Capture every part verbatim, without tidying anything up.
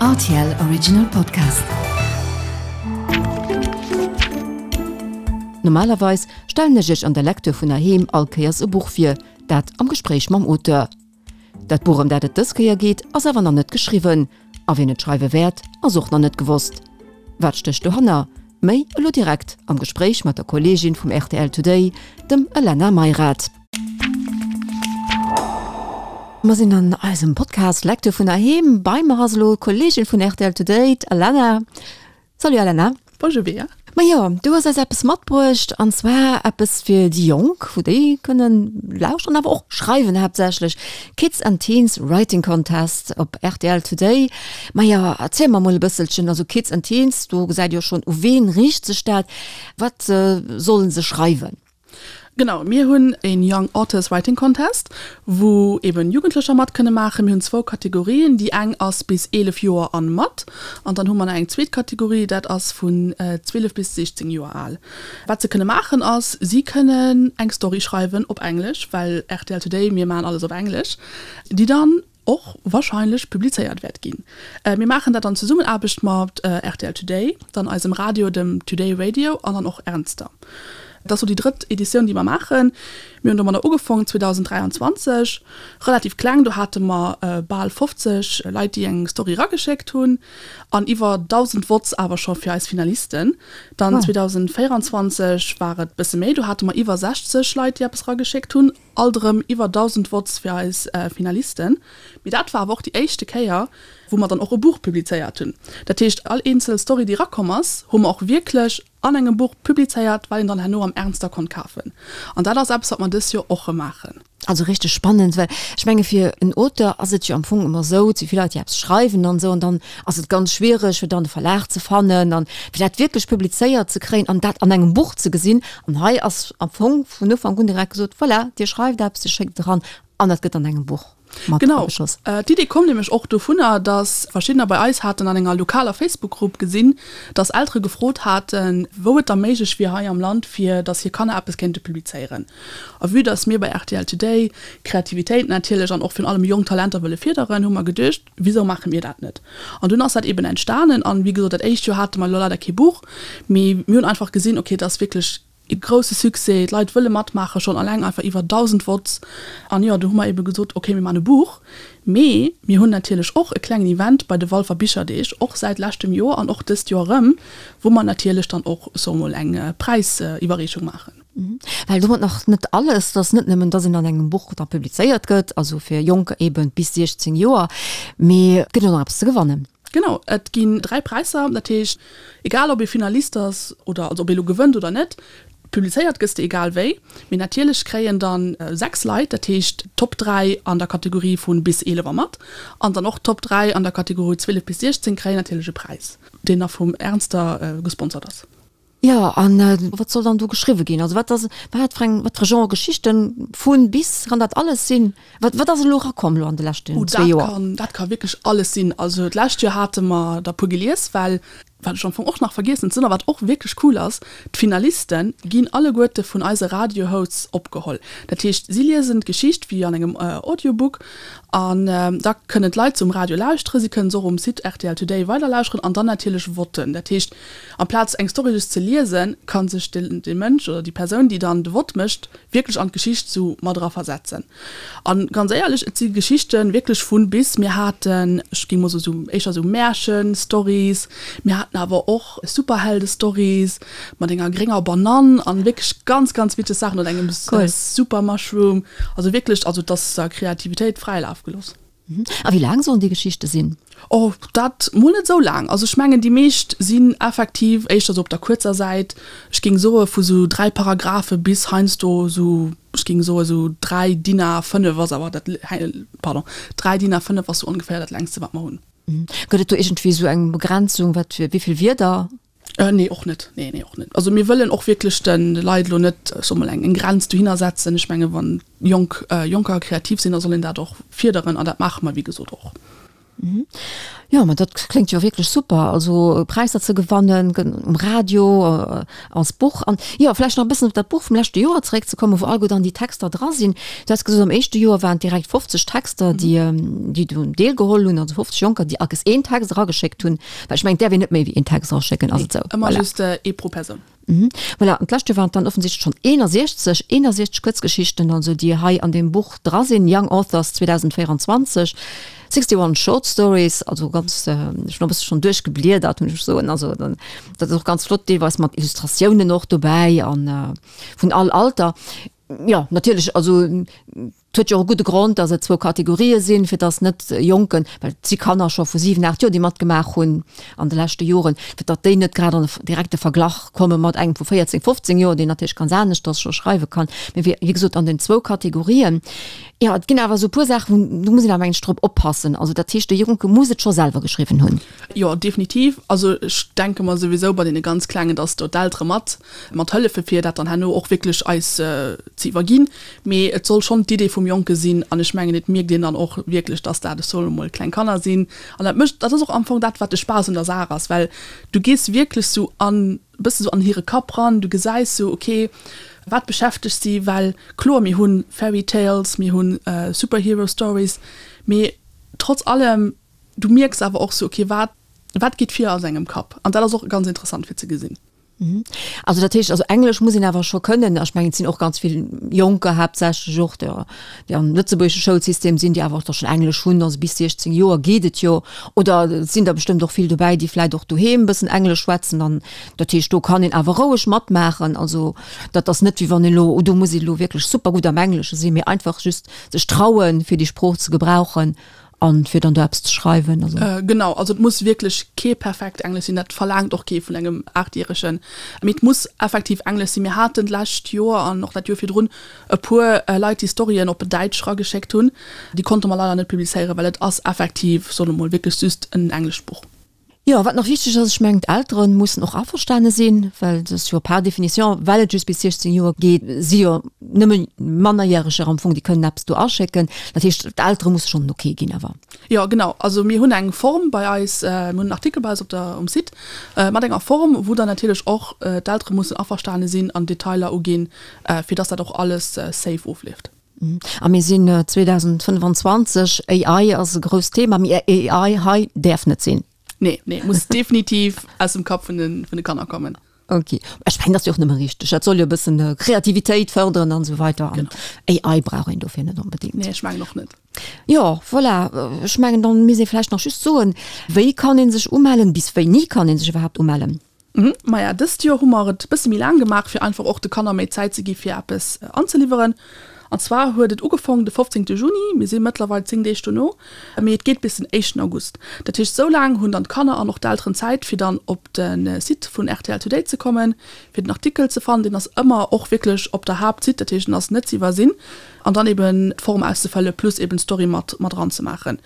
R T L Original Podcast. Normalerweis stellen ech iech an der Lecture vun heiheem all Kéiers e Buch vir, dat am Gespréich mam Auteur. Dat Buch, ëm dat et dës Kéier geet, ass awer nach net geschriwwen. A wien et schreiwe wäert, ass och nach net gewosst. Wat stécht dohanner? Méi elo direkt am Gespréich mat der Kolleegin vum R T L Today, dem Elena Meyrath. Mer sinn an eisem Podcast Lecture vun heiheem. Bei mer ass elo d'Kolleegin vun R T L Today, d'Elena. Salut Elena. Bonjour Bea. Ma jo, du hues eis eppes matbruecht, an zwar eppes fir déi Jonk, wou déi kënnen lauschteren, awer och schreiwen haaptsächlech. Kids and Teens Writing Contest op R T L Today. Ma jo, erziel mer mol e bësselchen, also Kids and Teens, do gesäit jo schonn, u ween riicht sech dat? Wat sollen se schreiwen? Genau, mir hunn een Young Authors Writing Contest, wou eben Jugendlecher mat kënne maachen. Mir hunn zwou Kategorien, déi eng ass bis eelef Joer an mat an dann hu mer nach eng zweet Kategorie, dat ass vun zwielef bis siechzéng Joer al. Wat se kënne maachen ass, si kënnen eng Story schreiwen op Englesch, well R T L Today, mir maachen alles op Englesch, déi dann och wahrscheinlech publizéiert wäert ginn. Mir maachen dat an Zesummenaarbecht mat R T L Today, dann eisem Radio, dem Today Radio an dann och Ernster. Et ass elo déi drëtt Editioun, déi mer maachen. Mir hunn domadder ugefongen zweedausend dräianzwanzeg, relativ kleng, do hate mer bal fofzeg Leit, déi eng Story erageschéckt hunn an iwwer dausend Votes awer scho fir eis Finalisten. Dann zweedausend véieranzwanzeg war et bësse méi, do hate mer iwwer sechzeg Leit, déi eppes erageschéckt hunn, alt erëm iwwer dausend Votes fir eis Finalisten. Mee dat war awer och déi éischte Kéier, wou mer dann och e Buch publizéiert hunn. Dat heescht, all eenzel Story, déi erakomm ass, hu mer och wierklech an engem Buch publizéiert, wat een dann herno am Ernster konnt kafen. An dat ass eppes, wat mer dës Joer och erëm maachen. Also richteg spannend, well ech menge fir en Auteur ass et jo am Fong ëmmer esou, et si vill Leit, déi eppes schreiwen an esou, an dann ass et ganz schwiereg, fir dann e Verlag ze fannen an fir dat wierklech publizéiert ze kréien an dat an engem Buch ze gesinn. An hei ass am Fong vun Ufank un direkt gesot, voilà, Dir schreift eppes, Dir schéckt et eran an dat gëtt an engem Buch mat Genau. ageschloss. D'Idee koum nämlech och dovunner, dass verschiddener bei eis haten an enger lokaler Facebook-Grupp gesinn, dass Eltere gefrot haten, wou et da méiglech wier hei am Land, fir dass hir Kanner eppes kéinte publizéieren. A vue dass mir bei R T L Today Kreativitéit natierlech an och virun allem jonk Talenter wëlle firderen, hu mer geduecht, wisou maache mir dat net? An dunn ass dat eben entstanen. An wéi gesot, dat éischt Joer hate mer elo leider kee Buch, mee mir hunn einfach gesinn, okay, et ass wierklech e grousse Succès, d'Leit wëlle matmaachen, schonn alleng einfach iwwer dausend Votes. An jo, do hu mer ebe gesot, okay, mir maachen e Buch. Mee mir hunn natierlech och e klengen Event bei de Walfer Bicherdeeg, och säit leschtem Joer an och dëst Joer erëm, wou mer natierlech dann och, soe mol, eng Präisiwwerreechung maachen. Well domat nach net alles, et ass net nëmmen, dass een an engem Buch da publizéiert gëtt, also fir Jonker eben bis siechzéng Joer, mee et gëtt och nach eppes ze gewannen. Genau, et ginn dräi Präisser, dat heescht, egal ob ee Finalist ass oder also ob ee lo gewënnt oder net, publizéiert gëss de egal wéi. Mee natierlech kréien dann sechs Leit, dat heescht d'Top dräi an der Kategorie vu bis eelef a mat an dann och d'Top dräi an der Kategorie zwielef bis siechzéng kréien natierlech e Präis, deen da vum Ernster gesponsert ass. Jo, a wat soll dann do geschriwwe ginn? Also wat ass, wat fir eng, wat fir Genre Geschichten, vu bis, kann dat alles sinn? Wat, wat ass elo erakomm elo an de leschten Oh, zwee dat Joer? kann, dat ka wierklech alles sinn. Also d'lescht Joer hate mer der puer gelies, well, wat ech am Fong och nach vergiessen ze soen a wat och wierklech cool ass, d'Finaliste ginn alleguerte vun eise Radio-Hosts opgeholl. Dat heescht, si liesen d'Geschicht wéi an engem Audiobook an da kënnen d'Leit se um Radio lauschteren, si kënnen se och um Site R T L Today weiderlauschteren an dann natierlech voten. Dat heescht, amplaz eng Story just ze liesen, ka sech de Mënsch oder déi Persoun, déi dann de Vott mécht, wierklech an d'Geschicht sou mat era versetzen. An ganz éierlech, et si Geschichten wierklech vun bis. Mir haten, ech géing mol soen, sou éischter sou Märchen-Stories, mir haten awer och Superhelde-Stories mat enger grénger Banann an wierklech ganz, ganz witzeg Saachen oder engem Super Mushroom. Also wierklech, also et ass der Kreativitéit fräie Laf gelooss. A wéi laang sollen déi Geschichte sinn? Oh, dat mol net esou laang. Also ech mengen, déi meescht sinn effektiv éischter esou op der kuerzer Säit. Ech géing soe vu sou dräi Paragraphe bis heiansdo esou, ech géing soe sou dräi DIN A fënnef ass awer dat, pardon, dräi DIN A fënnef ass sou ongeféier dat längste wat mer hunn. Gëtt et do iergendwéi esou eng Begrenzung, wat fir wéi vill Wierder? Nee, och net. Nee, nee, och net. Also mir wëllen och wierklech de Leit elo net, ech soe mol, eng Grenz dohinner setzen. Ech menge wann Jonk, Jonker kreativ sinn, da soll een dat och fierderen an dat maache mer wéi gesot och. Jo, ma dat kléngt jo wierklech super, also Präisser ze gewannen um Radio, als Buch an jo vläicht nach e bëssen op dat Buch vum leschte Joer zeréckzekommen, wou alleguer dann déi Texter dra sinn. Du has gesot, am éischte Joer waren et direkt fofzeg Texter, déi déi do deelgeholl hunn, also fofzeg Jonker, déi all Kéiers een Text erageschéckt hunn, well ech mengen, et däerf een net méi wéi een Text eraschécken, ass et esou? Nee, ëmmer just ee pro Persoun. Mhm. Voilà, an d'lescht Joer waren et dann offensichtlech schonn eenundsechzeg, eenundsechzeg Kuerzgeschichten, also déi hei an deem Buch dra sinn, Young Authors zweedausendvéierundzwanzeg, sixty-one Short Stories, also ganz, ech hunn e bësse schonn duerchgebliedert, muss ech soen, also dann, dat ass och ganz flott, deelweis mat Illustratiounen och dobäi an vun all Alter. Jo, natierlech, also et huet jo och e gudde Grond, datt et zwou Kategorië sinn, fir datt net Jonken, well et si Kanner scho vu siwen, aacht Joer, déi matgemaach hunn an de leschte Joren, fir datt déi net grad an e direkte Verglach komme mat engem vu véierzéng, fofzéng Joer, deen natierlech ganz aneschters scho schreiwe kann. Mee wéi wéi gesot an den zwou Kategorien. Jo, et ginn awer esou e puer Saachen, do muss een awer mengen ech drop oppassen. Also dat heescht, de Jonke muss et scho selwer geschriwwen hunn. Jo, definitiv. Also ech denke mer souwisou bei deene ganz Klengen, datt do d'Eltere mat mat hëllefe fir dat dann herno och wierklech eis ze iwwerginn. Mee et soll schonn d'Idee vum Jonke sinn an ech mengen, et mierkt een dann och wierklech, dass dat, ech soen emol, kleng Kanner sinn. An dat mécht, dat ass och am Fong dat, wat de Spaass un der Saach ass, well du gees wierklech sou an, e bësse sou an hire Kapp ran, du gesäis sou, okay, wat beschäftegt si, well kloer, mir hu Fairy Tales, mir hu Superhero Stories, mee trotz allem, du mierks awer och sou, okay, wat, wat geet vir a sengem Kapp? An dat ass och ganz interessant fir ze gesinn. Also dat heescht, also Englesch muss een awer scho kënnen. Ech mengen, et sinn och ganz vill Jonker haaptsächlech och, déi déi am lëtzebuergesche Schoulsystem sinn, déi awer och da schonn Englesch hunn. Also bis siechzéng Joer geet et jo. Oder et sinn der bestëmmt och vill dobäi, déi vläicht och doheem e bëssen Englesch schwätzen. An dat heescht, do kann een awer roueg matmaachen. Also dat ass net, wéi wann een elo, oh do muss een elo wierklech super gutt am Englesche sinn, mee einfach just sech trauen, fir déi Sprooch ze gebrauchen. An fir dann do eppes ze schreiwen, also. Genau, also et muss wierklech kee perfekt Englesch sinn, dat verlaangt och kee vun engem Aachtjäregen, mee et muss effektiv Englesch sinn. Mir haten d'lescht Joer an och dat Joer virdrun e puer Leit, déi Storyen op Däitsch erageschéckt hunn, déi konnte mer leider net publizéieren, well et ass effektiv, soe mer mol, wierklech just en englescht Buch. Jo, wat nach wichteg ass, ech mengen d'Eltere mussen och averstane sinn, well et ass jo par définition, well et just bis siechzéng Joer geet, si jo nëmme Mannerjäreger am Fong, déi kënnen eppes do aschécken. Dat heescht, d'Eltere musse schonn den Ok ginn awer. Jo, genau. Also mir hunn eng Form bei eis, mir hunn en Artikel bei eis op der, um Site mat enger Form, wou dann natierlech och d'Eltere mussen averstane sinn an Detailer uginn, fir dass dat och alles safe ofleeft. A mir sinn zweedausendfënnefanzwanzeg, A I ass e grousst Thema, mee A I hei däerf net sinn. Nee, nee, muss definitiv aus dem Kapp vun de, vun de Kanner kommen. Ok. Ech mengen, dat ass jo och nëmme richteg. Dat soll jo e bëssen Kreativitéit fërderen an esou weider. An A I brauch een dofir net onbedéngt. Nee, ech mengen och net. Jo, voilà. Ech mengen, dann misst ee vläicht nach just soen, wéi kann ee sech umellen? Bis wéini kann ee sech iwwerhaapt umellen? Maja, dëst Joer hu mer et e bësse méi laang gemaach, fir einfach och de Kanner méi Zäit ze gi fir eppes anzeliwweren. An zwar huet et ugefong de fofzéngte Juni, mir si mëttlerweil zéng Deeg dono, mee et geet bis den éischten August. Dat heescht, esou laang hunn dann d'Kanner an och d'Elteren Zäit, fir dann op de Site vun R T L Today ze kommen, fir den Artikel ze fannen. Deen ass ëmmer och wierklech op der Haaptsite, dat heescht, en ass net ze iwwersinn, an dann eben d'Form auszefëlle plus eben d'Story mat mat eranzemaachen.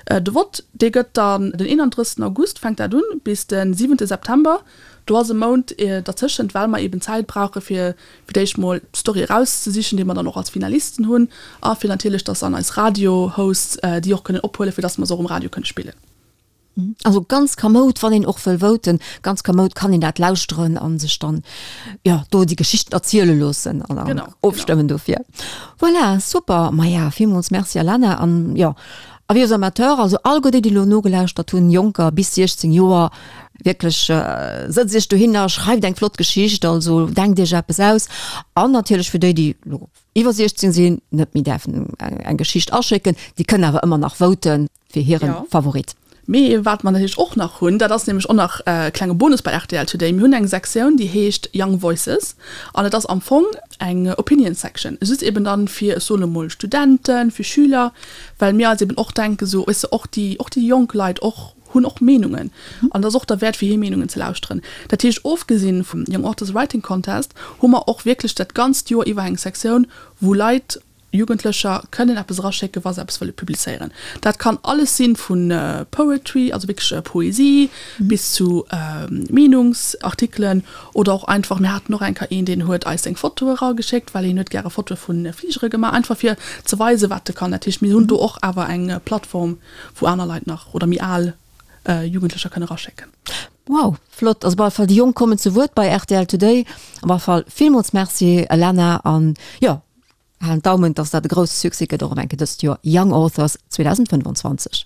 De Vott, dee gëtt dann den eenanddrëssegsten August fänkt dat un, bis de siwente September. Do ass e Mount dertëschent, well mer eben Zäit brauche fir fir d'éischt mol d'Story erauszesichen, déi mer dann och als Finalisten hunn, a fir natierlech, dass an eis Radio-Hosts déi och kënnen ophuelen, fir dass mer se och um Radio kënne spillen. Also ganz kamoud, wann een och wëll voten, ganz kamoud kann een dat lauschteren a sech dann, jo, do déi Geschichten erziele loossen an dann ofstëmmen dofir. Voilà, super. Maja, villmools Merci Alana an, jo, avis aux amateurs, also alleguer déi, déi elo nogelauschtert hunn, Jonker bis siechzéng Joer, wierklech, sëtzt iech dohinner, schreift eng flott Geschicht, also denkt iech eppes aus. An natierlech fir déi, déi elo iwwer siechzéng sinn, net méi däerfen eng Geschicht aschécken, déi kënnen awer ëmmer nach voten fir hire Favorit. Mee wat mer natierlech och nach hunn, dat ass nämlech och nach e klenge Bonus bei R T L Today, mir hunn eng Sektioun, déi heescht Young Voices an et ass am Fong eng Opinion Section, just eben dann fir, ech soen emol, Studenten, fir Schüler, well mir eis eben och denken, esou, weess de, och déi, och déi jonk Leit och hunn och Meenungen an et ass och derwäert fir hir Meenungen ze lauschteren. Dat heescht, ofgesinn vum Young Authors Writing Contest hu mer och wierklech dat ganzt Joer iwwer eng Sektioun, wou Leit Jugendlecher kënnen eppes eraschécken, wa se eppes wëlle publizéieren. Dat kann alles sinn, vu Poetry, also wierklech Poesie, bis zu Meenungsartikelen oder och einfach, mir haten och eng Kéier een, deen huet eis seng Fotoe erageschéckt, well hien huet gäre Fotoe vu Fligere gemaach, einfach fir ze weisen, wat e kann. Dat heescht, mir hunn do och awer eng Plattform, wou aner Leit nach oder méi al Jugendlecher kënne eraschécken. Wow, flott! Also op alle Fall, déi Jonk kommen zu Wuert bei rtl Today. Op alle Fall villmools Merci, Elena, an jo, halen d'Daumen, dass dat e grousse Succès gëtt och eng Kéier dëst Joer, Young Authors zweedausendfënnwandzwanzeg.